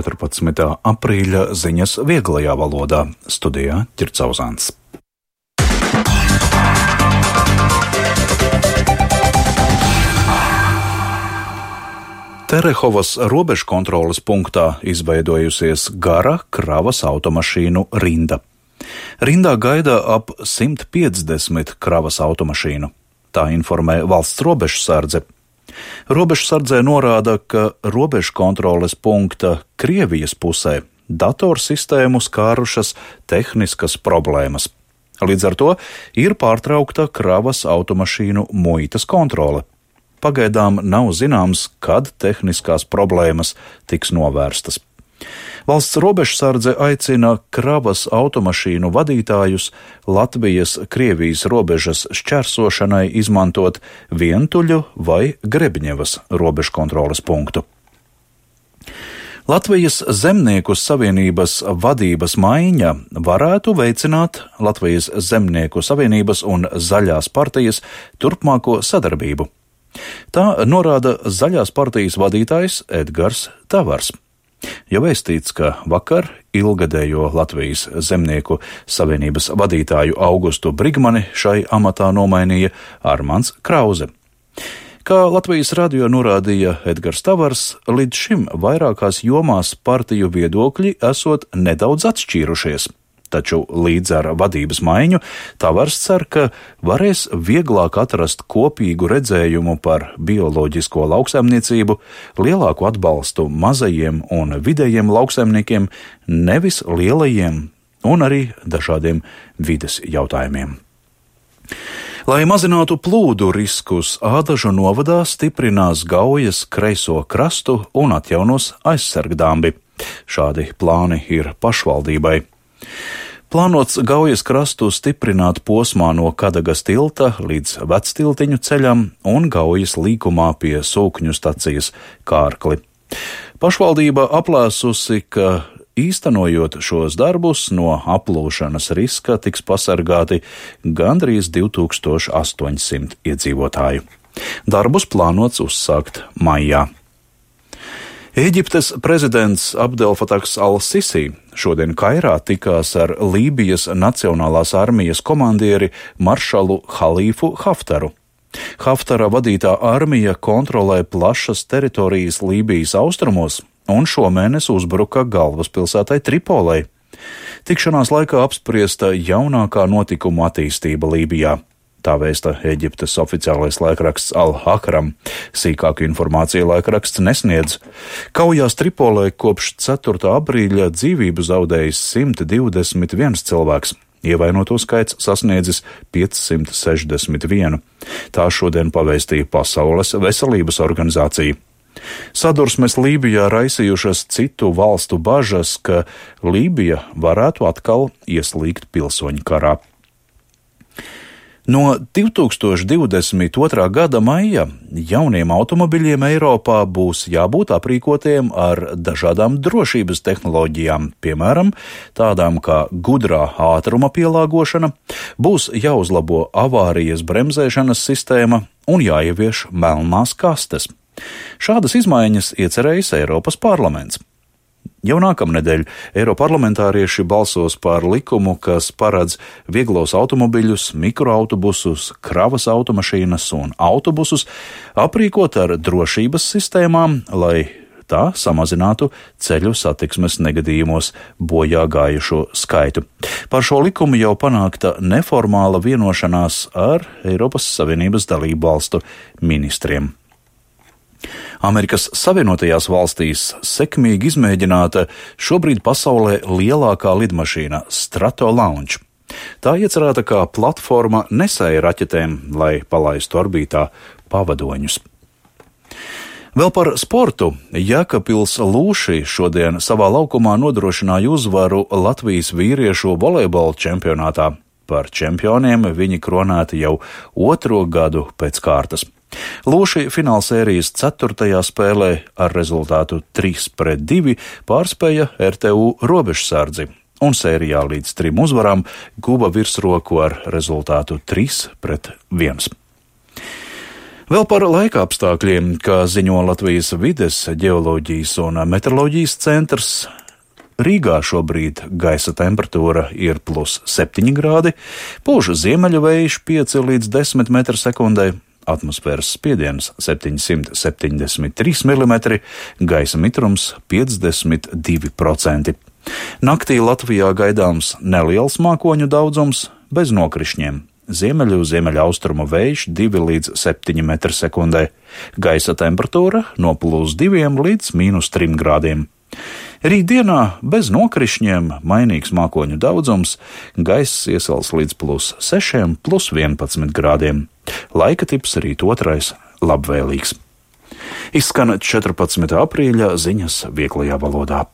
14. aprīļa ziņas vieglajā valodā. Studijā Ķircauzāns. Terehovas robežkontroles punktā izveidojusies gara kravas automašīnu rinda. Rindā gaida ap 150 kravas automašīnu. Tā informē valsts robežsardze. Robežsardzē norāda, ka robežkontroles punkta Krievijas pusē datorsistēmu skārušas tehniskas problēmas. Līdz ar to ir pārtraukta kravas automašīnu muitas kontrole. Pagaidām nav zināms, kad tehniskās problēmas tiks novērstas. Valsts robežsardze aicina kravas automašīnu vadītājus Latvijas-Krievijas robežas šķērsošanai izmantot Vientuļu vai Grebņevas robežkontroles punktu. Latvijas Zemnieku savienības vadības maiņa varētu veicināt Latvijas Zemnieku savienības un Zaļās partijas turpmāko sadarbību. Tā norāda Zaļās partijas vadītājs Edgars Tavars. Jau vēstīts, ka vakar ilgadējo Latvijas Zemnieku savienības vadītāju Augustu Brigmani šai amatā nomainīja Armands Krauze. Kā Latvijas radio norādīja Edgars Tavars, līdz šim vairākās jomās partiju viedokļi esot nedaudz atšķīrušies. Taču līdz ar vadības maiņu Tavars cer, ka varēs vieglāk atrast kopīgu redzējumu par bioloģisko lauksaimniecību, lielāku atbalstu mazajiem un vidējiem lauksaimniekiem, nevis lielajiem un arī dažādiem vides jautājumiem. Lai mazinātu plūdu riskus, Ādažu novadā stiprinās Gaujas kreiso krastu un atjaunos aizsargdambi. Šādi plāni ir pašvaldībai. Plānots Gaujas krastu stiprināt posmā no Kadagas tilta līdz Vectiltiņu ceļam un Gaujas līkumā pie Sūkņu stacijas Kārkli. Pašvaldība aplēsusi, ka īstenojot šos darbus no aplūšanas riska tiks pasargāti gandrīz 2800 iedzīvotāju. Darbus plānots uzsākt maijā. Ēģiptes prezidents Abdelfatahs al-Sisi šodien Kairā tikās ar Lībijas Nacionālās armijas komandieri maršalu Halīfu Haftaru. Haftara vadītā armija kontrolē plašas teritorijas Lībijas austrumos un šomēnes uzbruka galvaspilsētai Tripolei. Tikšanās laikā apspriesta jaunākā notikumu attīstība Lībijā. Tā vēsta Ēģiptes oficiālais laikraksts Al-Ahram. Sīkāku informāciju laikraksts nesniedz. Kaujās Tripolē kopš 4. aprīļa dzīvību zaudējis 121 cilvēks. Ievainoto skaits sasniedzis 561. Tā šodien pavēstīja Pasaules veselības organizācija. Sadursmes Lībijā raisījušas citu valstu bažas, ka Lībija varētu atkal ieslīgt pilsoņu karā. No 2022. gada maija jauniem automobiļiem Eiropā būs jābūt aprīkotiem ar dažādām drošības tehnoloģijām, piemēram, tādām kā gudrā ātruma pielāgošana, būs jāuzlabo avārijas bremzēšanas sistēma un jāievieš melnās kastes. Šādas izmaiņas iecerējis Eiropas parlaments. Jau nākamnedēļ Eiroparlamentārieši balsos par likumu, kas paredz vieglos automobiļus, mikroautobusus, kravas automašīnas un autobusus aprīkot ar drošības sistēmām, lai tā samazinātu ceļu satiksmes negadījumos bojā gājušo skaitu. Par šo likumu jau panākta neformāla vienošanās ar Eiropas Savienības dalību valstu ministriem. Amerikas Savienotajās valstīs sekmīgi izmēģināta šobrīd pasaulē lielākā lidmašīna Stratolaunch. Tā iecerēta kā platforma nesēja raķetēm, lai palaistu orbītā pavadoņus. Vēl par sportu. Jēkabpils Lūši šodien savā laukumā nodrošināja uzvaru Latvijas vīriešu volejbola čempionātā. Par čempioniem viņi kronēti jau 2. gadu pēc kārtas. Lūši finālsērijas 4. spēlē ar rezultātu 3-2 pārspēja RTU robežsardzi un sērijā līdz 3 uzvarām guva virsroku ar rezultātu 3-1. Vēl par laika apstākļiem, kā ziņo Latvijas vides, ģeoloģijas un meteoroloģijas centrs. Rīgā šobrīd gaisa temperatūra ir +7 grādi, pūš ziemeļu vējš 5 līdz 10 m/sekundē, atmosfēras spiediens 773 mm, gaisa mitrums 52%. Naktī Latvijā gaidāms neliels mākoņu daudzums bez nokrišņiem. Ziemeļaustrumu vējš 2 līdz 7 m/sekundē, gaisa temperatūra no +2 līdz -3 grādiem. Rītdienā bez nokrišņiem mainīgs mākoņu daudzums, gaiss iesals līdz +6, +11 grādiem. Laika tips rīt 2. labvēlīgs. Izskan 14. aprīļa ziņas vieglajā valodā.